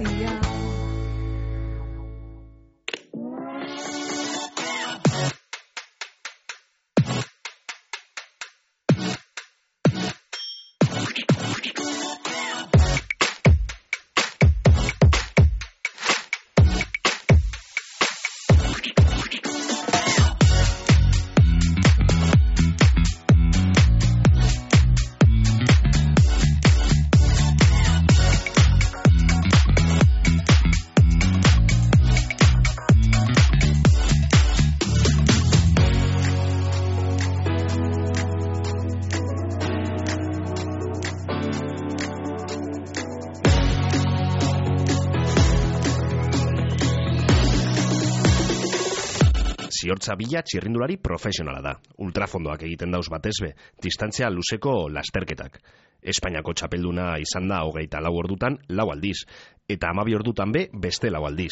Villa. Ziortza Bila txirrindulari profesionala da. Ultrafondoak egiten dauz batezbe, distantzia luzeko lasterketak. Espainiako txapelduna izan da 24 ordutan 4 aldiz, eta 12 ordutan be beste 4 aldiz.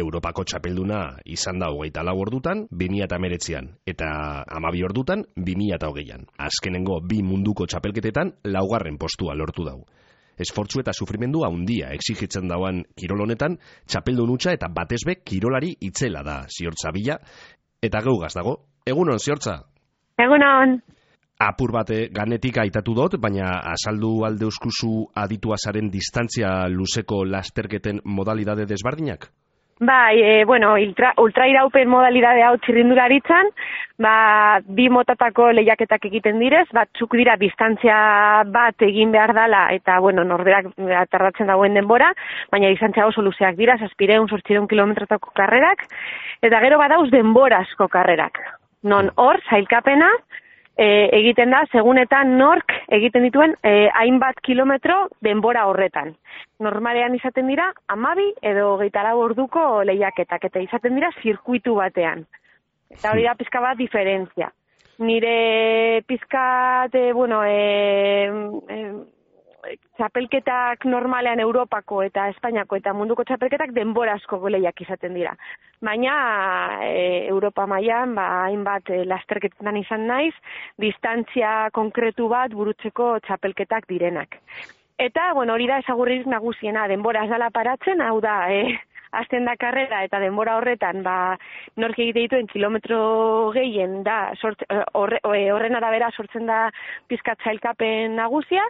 Europako txapelduna izan da 24 ordutan 2019an, eta 12 ordutan 2020an. Azkenengo 2 munduko txapelketetan 4. postua lortu dau. Esfortzu eta sufrimendu handia exigitzen dauan kirol honetan, txapeldun hutsa eta batezbe kirolari itzela da Ziortza Bila, eta geugaz dago. Egunon, Ziortza? Egunon. Apur bat ganetik aitatu dut, baina azaldu alde euskuzu aditua zaren distantzia luzeko lasterketen modalidade desbardinak? Bai, ultrairaupen modalidade hau txirrindularitzan, 2 motatako lehiaketak egiten direz, batzuk dira distantzia bat egin behar dala, eta, norberak tardatzen dagoen denbora, baina distantzia oso luzeak dira, 700-800 kilometrotako karrerak, eta gero badauz denborazko karrerak. Non hor, sailkapena, egiten da, segunetan nork egiten dituen hainbat kilometro denbora horretan. Normalean izaten dira 12 edo 24 orduko lehiaketak, eta izaten dira zirkuitu batean. Eta hori da pizka bat diferentzia. Nire pizkat, txapelketak normalean Europako eta Espainiako eta munduko txapelketak denborazko lehiak izaten dira. Baina Europa mailan hainbat lasterketetan izan naiz, distantzia konkretu bat burutzeko txapelketak direnak. Eta, hori da ezagurririk nagusiena, denbora ez dala paratzen, hau da, hasten da karrera eta denbora horretan, nork egite dituen kilometro gehien da, horren arabera sortzen da pizkat sailkapen nagusia,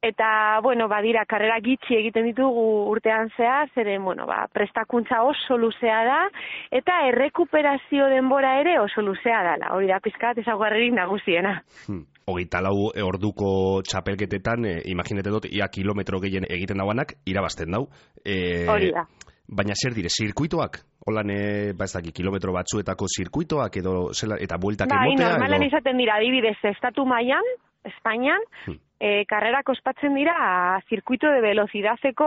eta, badira, karrera gitxi egiten ditugu urtean zehar, zeren, prestakuntza oso luzea da, eta errekuperazio denbora ere oso luzea dala, hori da pizkat ezagurririk nagusiena. 24 orduko txapelketetan, imaginete dut, ia kilometro gehien egiten dauanak, irabazten dau. Hori da. Baina zer dire, zirkuitoak? Holan, kilometro batzuetako zirkuitoak edo eta bueltak emotea? Normalan izaten dira, adibidez, estatu mailan, Espainian, karrerak ospatzen dira zirkuito de velozidazeko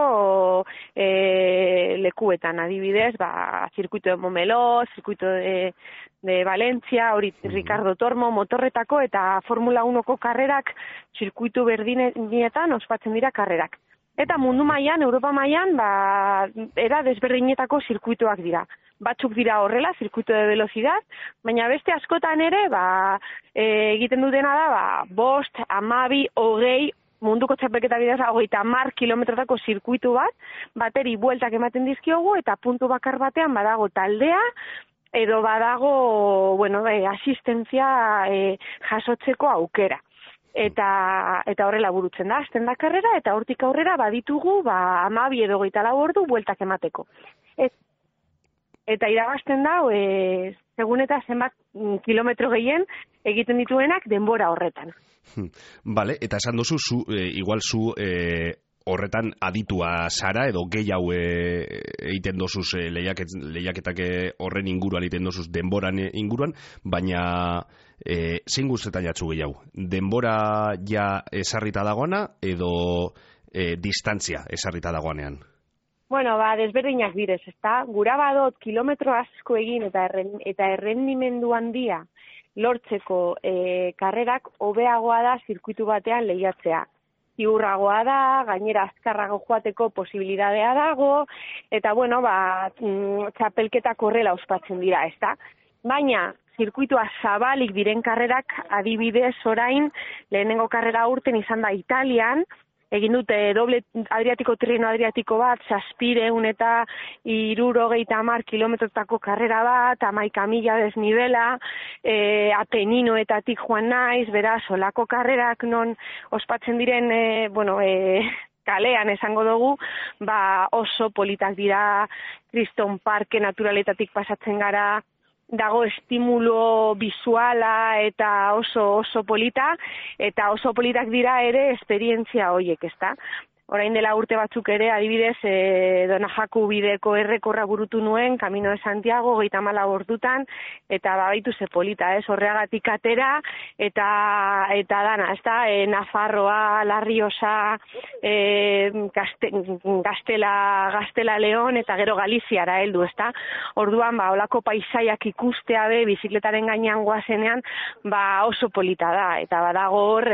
lekuetan, adibidez, zirkuito de Montmeló, zirkuito de Valencia, hori Ricardo Tormo, motorretako eta Formula 1ko karrerak zirkuito berdinetan ospatzen dira karrerak. Eta mundu mailan, Europa mailan, era desberdinetako zirkuitoak dira. Batzuk dira horrela, zirkuito de velocidad, baina beste askotan ere, egiten dutena da, 5, 12, 20, munduko txapelketa bidez, 30 kilometrotako zirkuitu bat, bateri bueltak ematen dizkiogu, eta puntu bakar batean badago taldea, edo badago, asistentzia jasotzeko aukera. Eta horrela burutzen da, hasten da karrera, eta hortik aurrera baditugu 12 edo 24 ordu bueltak emateko. Eta irabazten da, segun eta zenbat kilometro gehien egiten dituenak denbora horretan. Bale, eta esan duzu, igual zu horretan aditua zara, edo gehiago egiten dozuz lehiaketak horren inguruan egiten dozuz denboran inguruan, baina zein guztetan jatzu gehiago? Denbora ja esarrita dagoana, edo distantzia esarrita dagoanean? Desberdinak direz, ezta? Gura badot kilometro asko egin eta errendimendu handia lortzeko karrerak hobeagoa da zirkuitu batean lehiatzea. Ziurragoa da, gainera azkarrago joateko posibilidadea dago, eta txapelketak horrela ospatzen dira, ezta? Baina, zirkuitua zabalik diren karrerak adibidez orain, lehenengo karrera urten izan da Italian, egin dute doble Adriatiko Tirreno Adriatiko bat, 750 kilometrotako karrera bat, 11 mila desnibela, Apeninoetatik joan naiz, beraz, olako karrerak non ospatzen diren, kalean esango dugu, oso politak dira, Kriston Parke naturaletatik pasatzen gara, dago estimulo bisuala eta oso polita, eta oso politak dira ere esperientzia horiek, ezta? Orain dela urte batzuk ere, adibidez, Donajaku bideko errekorra burutu nuen, Camino de Santiago, 34 ordutan, eta baitu ze polita, Horreagatik atera, eta dana, ezta? Nafarroa, La Rioja, Gaztela Leon, eta gero Galiziara heldu, ezta? Orduan, olako paisaiak ikustea be, bizikletaren gainean goazenean, oso polita da, eta badago hor,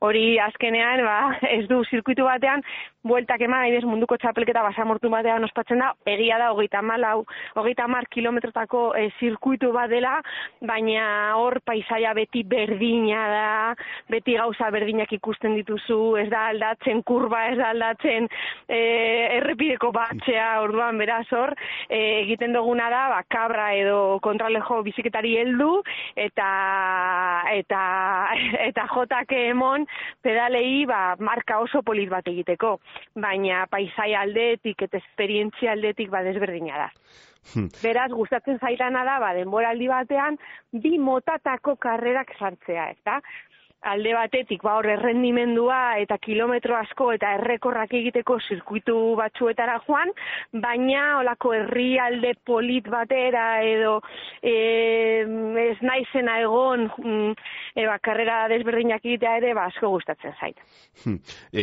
hori azkenean, ez du zirkuitu batean, bueltak eman, munduko txapelketa basamortu batean ospatzen da, egia da 30 kilometrotako zirkuitu bat dela, baina hor paisaia beti berdina da, beti gauza berdinak ikusten dituzu, ez da aldatzen kurba, ez da aldatzen errepideko batxea, orduan beraz hor, egiten duguna da, kabra edo kontralejo biziketari heldu, eta jotak emon pedalei marka oso polit bat egiteko, baina paisaia aldetik eta esperientzia aldetik desberdina da. Beraz, gustatzen zaidana da, denboraldi batean, 2 motatako karrerak sartzea, ezta? Alde batetik, hor errendimendua eta kilometro asko eta errekorrak egiteko zirkuitu batzuetara joan, baina olako herrialde polit batera edo ez naizena egon karrera desberdinak egitea ere asko gustatzen zait.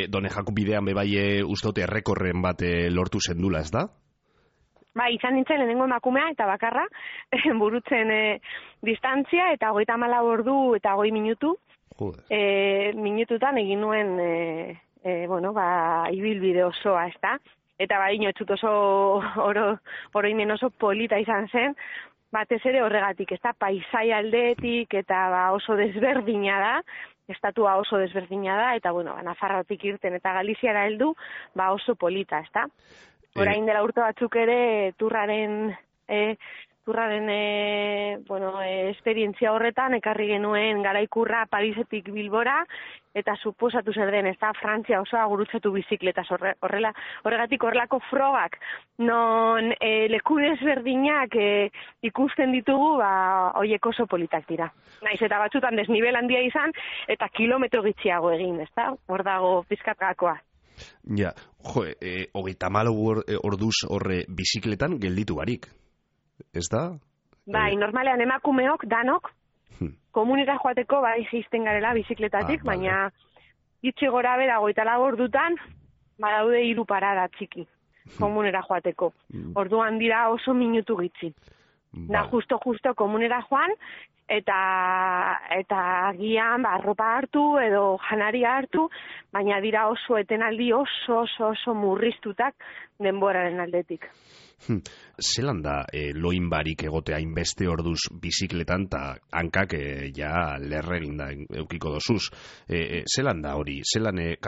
Donejaku bidean bebai uste errekorren bat lortu zendula, ez da? Izan nintzen lehenengo emakumea eta bakarra, burutzen distantzia eta 34 ordu eta 20 minutu. Minututan egin nuen ibilbide osoa, ezta? Eta inotzut oso oroimen oso polita izan zen, batez ere horregatik, ezta? Paisaia aldeetik eta oso desberdina da, estatua oso desberdina da, eta Nafarroatik irten eta Galiziara heldu, oso polita, ezta? Orain dela urte batzuk ere turraren esperientzia horretan, ekarri genuen garaikurra Parisetik Bilbora, eta suposatu zer den, ez da, Frantzia osoa gurutzatu bizikletaz horregatik horrelako frogak, non leku desberdinak ikusten ditugu, horiek oso politak dira. Naiz eta batzutan desnibel handia izan, eta kilometro gitxiago egin, ez da, hor dago pizkatgakoa. Ja, 34 orduz horre bizikletan gelditu barik. Ez da? Normalean emakumeok, danok, komunera joateko jisten garela bizikletatik, baina gitxi gora bera 34 ordutan, badaude 3 parada txiki, komunera joateko. Orduan dira oso minutu gitxi. Da justo komunera joan, eta agian arropa hartu edo janaria hartu, baina dira oso etenaldi oso murriztutak denboraren aldetik. Zelan da loin barik egotea inbeste orduz bizikletan eta hankak lerregin da eukiko dozuz. Zelan da hori?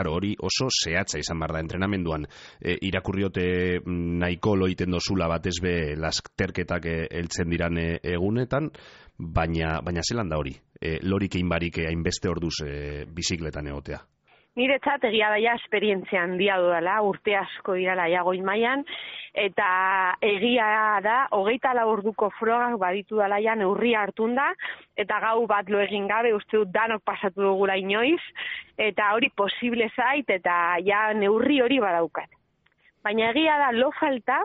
Hori oso zehatza izan bar da entrenamenduan. Irakurriote nahiko loiten dozula batez be lasterketak heltzen diran egunetan, baina zelan da hori? Lorik egin barik hainbeste orduz bizikletan egotea. Niretzat egia daia esperientzia handia dudala, urte asko dirala goi mailan, eta egia da, 24 orduko frogak baditu dala neurria hartun da, eta gau bat lo egin gabe, uste dut danok pasatu dugula inoiz, eta hori posible zait, eta neurri hori badaukat. Baina egia da, lo falta,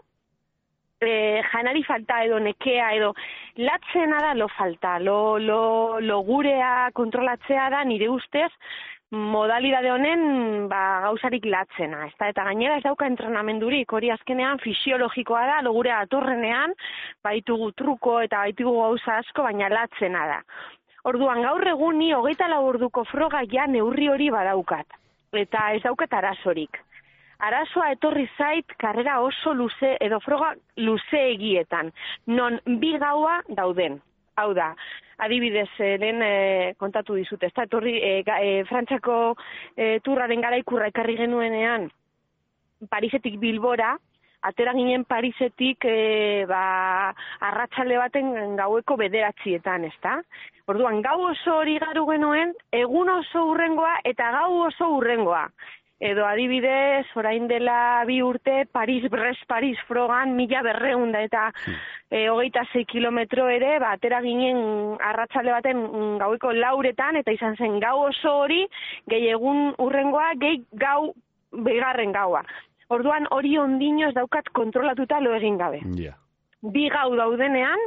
janari falta edo nekea edo latzena da lo falta, lo gurea kontrolatzea da nire ustez, modalidade honen gauzarik latzena, eta gainera ez dauka entrenamendurik, hori azkenean fisiologikoa da, logure atorrenean, baitugu truko eta baitugu gauza asko, baina latzena da. Orduan gaur egun ni 24 orduko froga neurri hori badaukat, eta ez daukat arazorik. Arazoa etorri zait karrera oso luze edo froga luze egietan, non 2 gaua dauden. Hau da, adibidez, lehen kontatu dizut, ez da, Frantziako turraren garaikurra ekarri genuenean, Parisetik Bilbora, atera ginen Parisetik arratsalde baten gaueko 9:00, ezta? Orduan, gau oso hori garu genuen, egun oso hurrengoa eta gau oso hurrengoa. Edo adibidez, orain dela 2 urte, Paris frogan 1200 eta 26 kilometro ere, atera ginen arratsalde baten gaueko 4:00 eta izan zen gau oso hori, gehi egun hurrengoa, gehi gau bigarren gaua. Orduan hori ondino ez daukat kontrolatuta lo egin gabe. Yeah. 2 gau daudenean,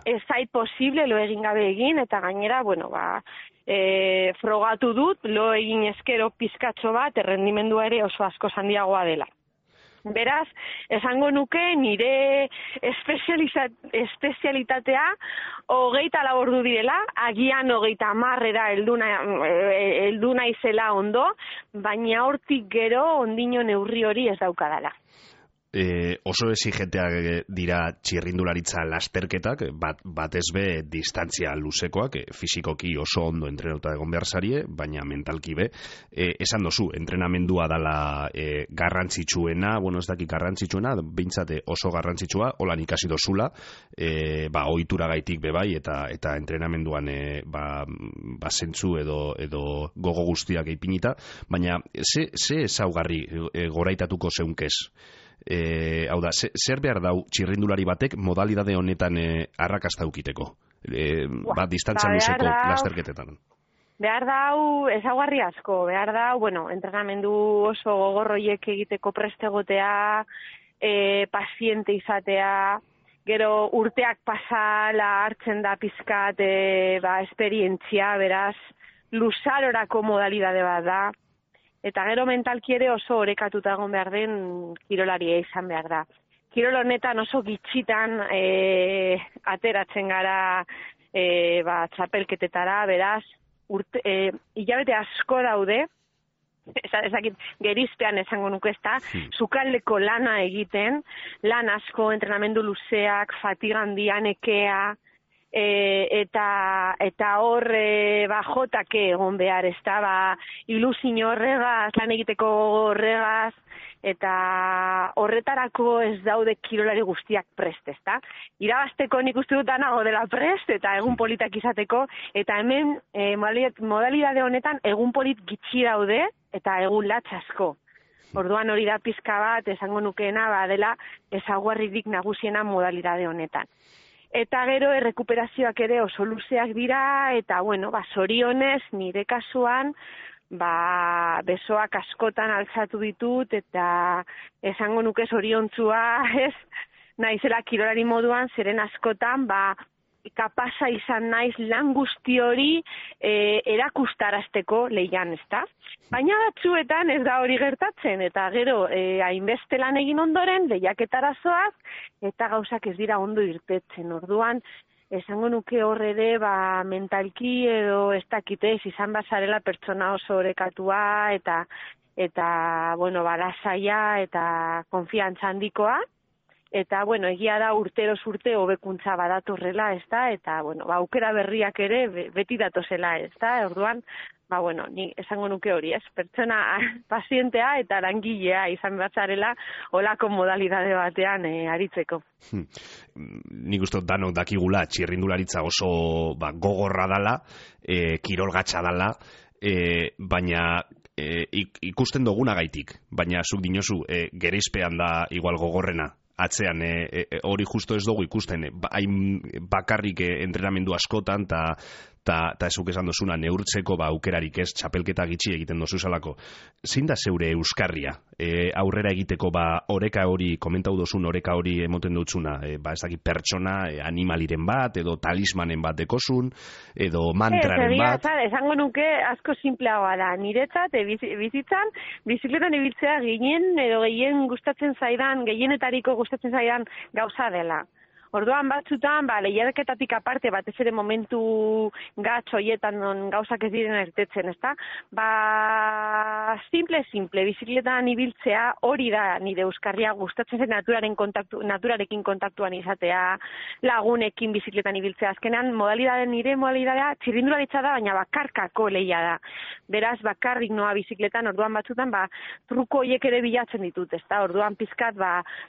ez zait posible lo egin gabe egin, eta gainera, frogatu dut, lo egin eskero pizkatxo bat, errendimendua ere oso asko handiagoa dela. Beraz, esango nuke nire espezialitatea 24 ordu direla, agian 30 heldu naizela ondo, baina hortik gero ondino neurri hori ez daukadala. Oso exigenteak dira txirrindularitza lasterketak, batez be distantzia luzekoak, fisikoki oso ondo entrenatuta egon behar zarie, baina mentalki be. Esan dozu, entrenamendua dala garrantzitsuena, ez daki garrantzitsuena, behintzate oso garrantzitsua, holan ikasi dozula, ohitura gaitik bebai, eta entrenamenduan zentzu edo gogo guztiak eipinita, baina ze ezaugarri goraitatuko zeunkez? Hau da, zer behar dau txirrindulari batek modalidade honetan arrakasta ukiteko? Distantzia luzeko lasterketetan. Behar dau ezaugarri asko, behar dau, entrenamendu oso gogorroiek egiteko prestegotea, paziente izatea, gero urteak pasala hartzen da pizkat esperientzia, beraz, luzarorako modalidade bat da. Eta gero mentalki ere oso orekatuta egon behar den kirolaria izan behar da. Kirol honetan oso gitxitan ateratzen gara txapelketetara, beraz, hilabete asko daude, ezakit gerizpean esango nuke ezta, sukaldeko lana egiten, lan asko, entrenamendu luzeak, fatiga handia, nekea, eta hor jotake egon behar, ezta, ilusio horregaz, lan egiteko horregaz, eta horretarako ez daude kirolari guztiak prest, ezta. Irabazteko nik uste dut nago dela prest, eta egun politak izateko, eta hemen modalidade honetan egun polit gitxi daude, eta egun latzasko. Orduan hori da pizka bat, esango nukeena, dela ezaugarririk nagusiena modalidade honetan. Eta gero errekuperazioak ere oso luzeak dira, eta zorionez nire kasuan, besoak askotan altzatu ditut, eta esango nuke zoriontzua, naizela kirolari moduan, zeren askotan, kapasa izan naiz lan guzti hori erakustarazteko lehian, ezta? Baina batzuetan ez da hori gertatzen, eta gero hainbeste lan egin ondoren, lehiaketara zoaz, eta gauzak ez dira ondo irtetzen. Orduan, esango nuke horre ere, mentalki edo ez dakitez, izan bazarela pertsona oso orekatua, eta lasaia eta konfiantza handikoa, eta, egia da urteroz urte hobekuntza badatorrela, ezta, eta, aukera berriak ere beti datozela, ezta, orduan, ni esango nuke hori, ez, pertsona pazientea eta langilea izan batzarela olako modalidade batean aritzeko. Nik uste danok dakigula txirrindularitza oso gogorra dala, kirolgatxa dala, baina ikusten dugunagaitik, baina zuk dinozu gerizpean da igual gogorrena. Atzean, hori justo ez dugu ikusten, hain bakarrik entrenamendu askotan, eta ezuk esan dozuna, neurtzeko aukerarik ez, txapelketa gitxi egiten dozu zalako. Zein da zeure euskarria? Aurrera egiteko, oreka hori, komentau dozun oreka hori emoten dutzuna, ez dakit pertsona, animaliren bat, edo talismanen bat dekozun, edo mantraren bat. Esango nuke asko simpleagoa da. Niretzat, bizitzan, bizikletan ibiltzea gehienetariko gustatzen zaidan gauza dela. Orduan batzutan, lehiaketatik aparte, batez ere momentu gatz horietan gauzak ez diren ertetzen, ezta? simple, bizikletan ibiltzea, hori da nire euskarria gustatzen zen naturarekin kontaktuan izatea, lagunekin bizikletan ibiltzea. Azkenean, nire modalidadea txirrindularitza da, baina bakarkako lehia da. Beraz, bakarrik noa bizikletan, orduan batzutan, truko horiek ere bilatzen ditut, ezta? Orduan pizkat,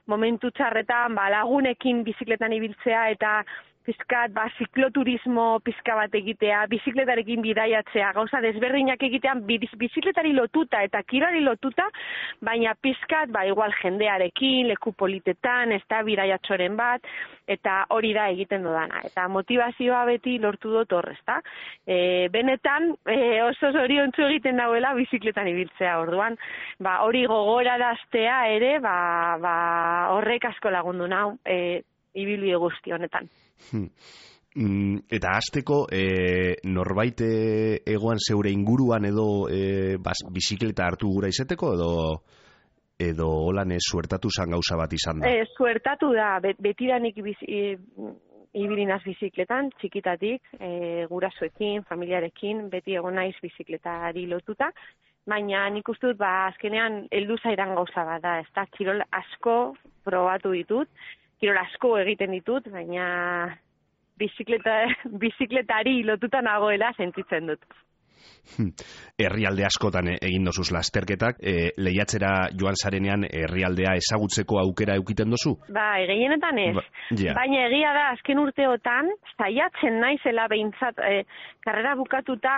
momentu txarretan, lagunekin bizikletan ibiltzea eta pizkat, zikloturismo pizka bat egitea, bizikletarekin bidaiatzea, gauza desberdinak egitean bizikletari lotuta eta kirolari lotuta, baina pizkat, igual jendearekin, leku politetan, ez da bidaiatxoren bat, eta hori da egiten dudana. Eta motivazioa beti lortu dut horrez, da? Benetan, oso zoriontsu egiten dauela bizikletan ibiltzea, orduan, hori gogoraraztea ere, horrek asko lagundu nau, ibilbide guzti honetan. Eta hasteko norbait egoan zeure inguruan edo bizikleta hartu gura izeteko edo holan suertatu zan gauza bat izan da? Suertatu da, betidanik ibilinaz bizikletan, txikitatik, gurasoekin, familiarekin, beti egon naiz bizikletari lotuta, baina nik uste dut, azkenean heldu zaidan gauza bat da, ez da, kirol asko probatu ditut, kirol asko egiten ditut, baina bizikletari lotuta nagoela sentitzen dut. Herrialde askotan egin dozuz lasterketak, lehiatzera joan zarenean herrialdea ezagutzeko aukera eukiten dozu? Gehienetan ez. Baina egia da, azken urteotan, saiatzen naizela behintzat, karrera bukatuta,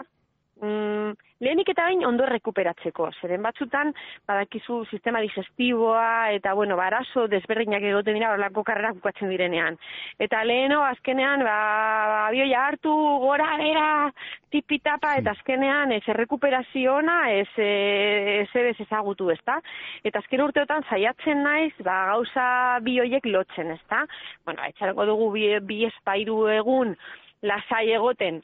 lehenik eta bain ondo rekuperatzeko. Zeren batzutan, badakizu sistema digestiboa eta, arazo desberdinak egoten dira horrelako karrerak bukatzen direnean. Eta leheno, azkenean, abioia hartu, gora, era, tipitapa, eta azkenean, ez errekuperazio ona, ez ezagutu, ezta? Eta azken urteotan saiatzen naiz, gauza bi horiek lotzen, ezta? Etxarako dugu bi espairu egun lasai egoten,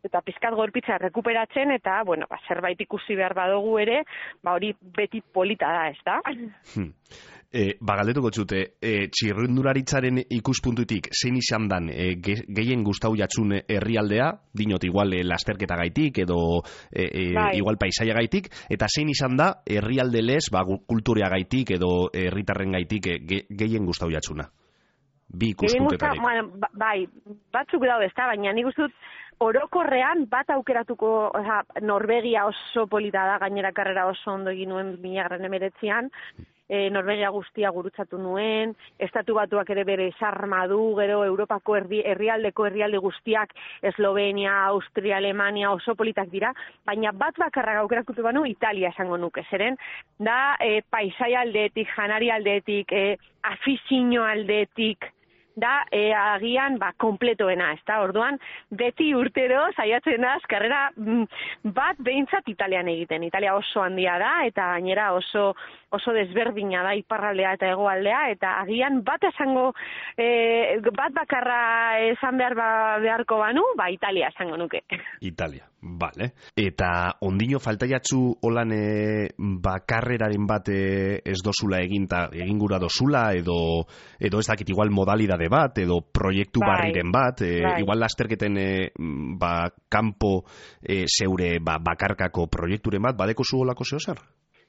eta pizkat gorpitza rekuperatzen, eta, zerbait ikusi behar badugu ere, hori beti polita da, ez da? Galdetuko txute, txirrindularitzaren ikuspuntutik, zein izan dan, gehien gustau jatzun herrialdea, dinot igual lasterketa gaitik, edo igual paisaia gaitik, eta zein izan da, herrialde lez, kulturea gaitik, edo herritarren gaitik, gehien gustau jatzuna? Bi ikuspuntetarik. Batzuk daude, ez da, baina nik uste dut, orokorrean bat aukeratuko, Norvegia oso polita da, gainera karrera oso ondo egin nuen 2019an, Norvegia guztia gurutzatu nuen, Estatu Batuak ere bere sarma du, gero Europako herrialde guztiak, Eslovenia, Austria, Alemania oso politak dira, baina bat bakarra aukeratuko banu Italia esango nuke, zeren da paisaia aldetik, janari aldetik, afizio aldetik, da agian kompletoena, ez da, orduan beti urtero saiatzen naz karrera bat behintzat Italian egiten. Italia oso handia da eta gainera oso desberdina da iparraldea eta hegoaldea, eta agian bat esango bat bakarra esan beharko banu, Italia esango nuke. Italia, vale. Eta ondino falta jatzu holan karreraren bat ez dozula egin gura dozula, edo ez dakit igual modalidade bat, edo proiektu barriren bat, igual lasterketen kanpo zeure bakarkako proiekturen bat, badeko zu holako zeo zer?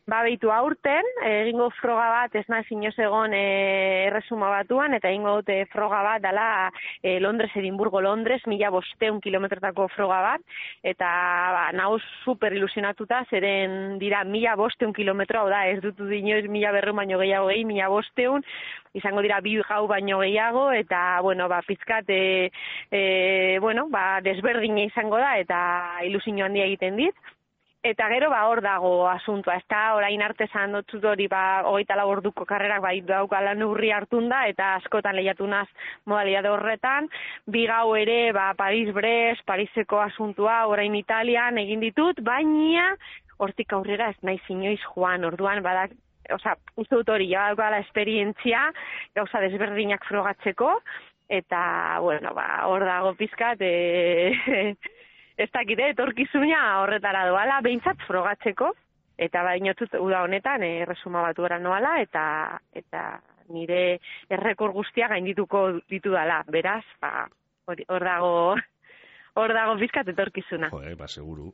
Beitu aurten, egingo froga bat, ez nahi inoz egon erresuma batuan, eta egingo dute froga bat dala Edimburgo-Londres, 1500 kilometrotako froga bat, eta nauz super ilusionatuta, zeren dira 1500 kilometro, hau da, ez dutu dinoiz 1200 baino gehiago 1500, izango dira 2 gau baino gehiago, eta, pizkat, desberdina izango da, eta ilusio handia egiten dit. Eta gero hor dago asuntua, ez da, orain arte zan dotzut hori 24 orduko karrerak daukala neurri hartun da, eta askotan lehiatu naz modalidade horretan, 2 gau ere Paris-Brest, Pariseko asuntua, orain Italian egin ditut, baina hortik aurrera ez naiz inoiz joan, orduan badak, uste dut hori, daukala esperientzia, gauza desberdinak frogatzeko, eta, hor dago pizkat, ez dakite, etorkizuna horretara doala, behintzat frogatzeko, eta bainotzut uda honetan erresuma batuera noala, eta nire errekor guztia gaindituko ditu dala. Beraz, hor hor dago pizkat etorkizuna. Ba, seguru.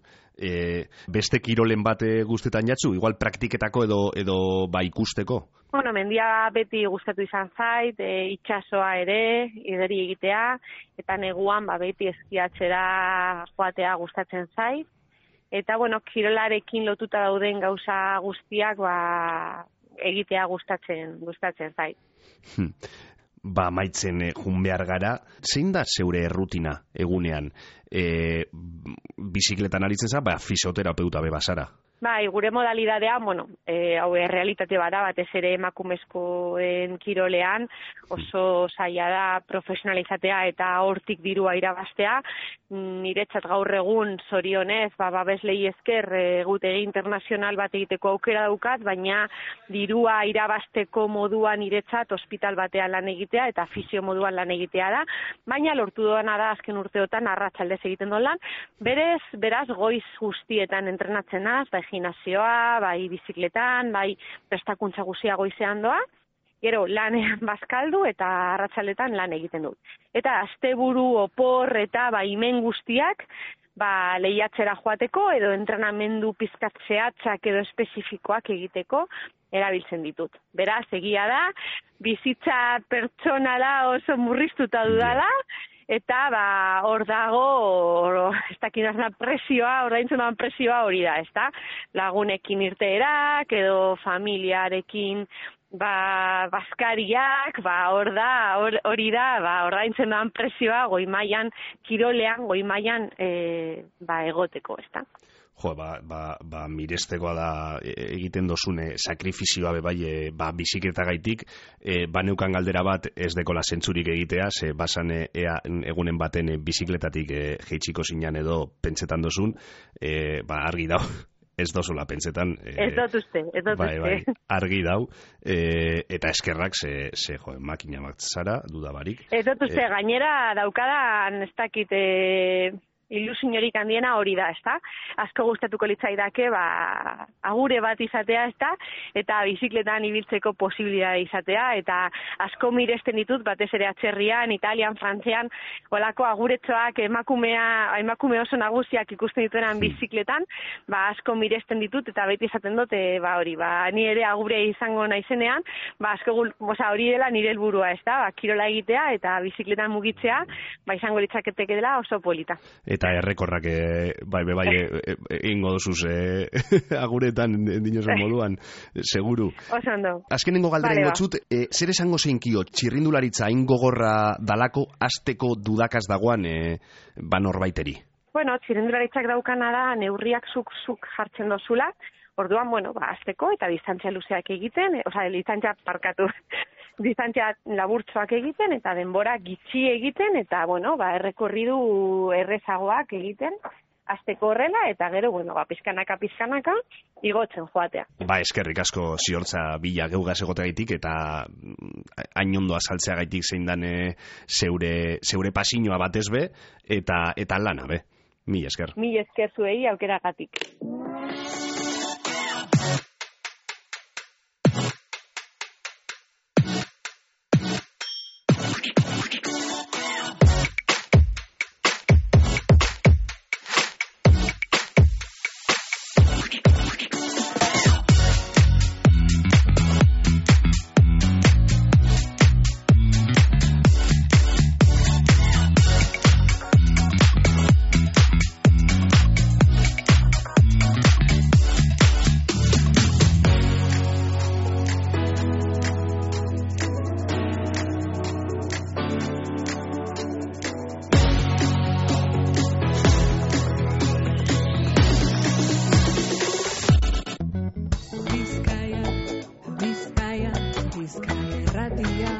Beste kirolen bat guztetan jatzu? Igual praktiketako edo ba ikusteko? Bueno, mendia beti gustatu izan zait, itsasoa ere, ideri egitea, eta neguan beti eskiatzera joatea gustatzen zait. Eta, bueno, kirolarekin lotuta dauden gauza guztiak egitea gustatzen zait. Ba, maitzen jun behar gara, zein da zeure rutina egunean? Bizikletan aritzen za, fisioterapeuta bebasara? Bai, gure modalidadea, hau realitate bada, batez ere emakumezkoen kirolean, oso zaila da profesionalizatea eta hortik dirua irabaztea. Niretzat gaur egun zorionez, babeslei esker egutegi internazional bat egiteko aukera daukat, baina dirua irabazteko moduan niretzat ospital batean lan egitea eta fisio moduan lan egitea da, baina lortu doana da azken urteotan arratsaldez egiten duen lan, beraz goiz guztietan entrenatzen az, gimnasioa, bai bizikletan, bai prestakuntza guztia goizean doa, gero lanean bazkaldu eta arratsaletan lan egiten dut. Eta asteburu opor eta imen guztiak lehiatzera joateko edo entrenamendu pizkat zehatzak edo espezifikoak egiteko erabiltzen ditut. Beraz, egia da, bizitza pertsonala oso murriztuta dudala, eta hor dago, ez dakinazna presioa, ordaintzen doan presioa hori da, ezta? Lagunekin irteerak, edo familiarekin baskariak, hori da, ordaintzen doan presioa goi mailan, kirolean, goi mailan egoteko, ezta? Mirestekoa da egiten dozune sakrifizioa bizikletagaitik, neukan galdera bat ez dekola zentzurik egitea, ze basan egunen baten bizikletatik jeitsiko zinan edo pentsetan dozun, argi dau. Ez dozula pentsetan. Ez dut uste. Argi dau. Eta eskerrak, makina bat zara, dudabarik. Ez dut uste, gainera daukadan, ez dakit, ilusiorik handiena hori da, ezta? Asko gustatuko litzaidake, agure bat izatea, ezta? Eta bizikletan ibiltzeko posibilitatea izatea, eta asko miresten ditut, batez ere atzerrian, Italian, Frantzian, holako aguretxoak emakume oso nagusiak ikusten dituenan bizikletan, asko miresten ditut, eta beti esaten dut, ni ere agure izango naizenean, asko hori dela nire helburua, ezta? Kirola egitea eta bizikletan mugitzea, izango litzaketeke dela oso polita. Eta errekorrak egingo dozuz aguretan dinosen moduan, seguru. Oso ondo. Azkenengo galderen gotzut, zer esango zeinkio txirrindularitza hain gogorra dalako hasteko dudakaz dagoan norbaiteri? Bueno, txirrindularitzak daukana da neurriak zuk jartzen dozula, orduan, hasteko eta distantzia luzeak egiten, distantzia laburtzoak egiten eta denbora gitxi egiten eta, errekorridu errezagoak egiten, hasteko horrela eta gero, pizkanaka igotzen joatea. Eskerrik asko Ziortza Bila geugaz egoteagaitik eta hain ondo azaltzeagaitik zein dan zeure pasiñoa batez be eta lana be. Mila esker. Mila esker zuei aukeragatik. Bizkaia, Bizkaia, Bizkaia irratia.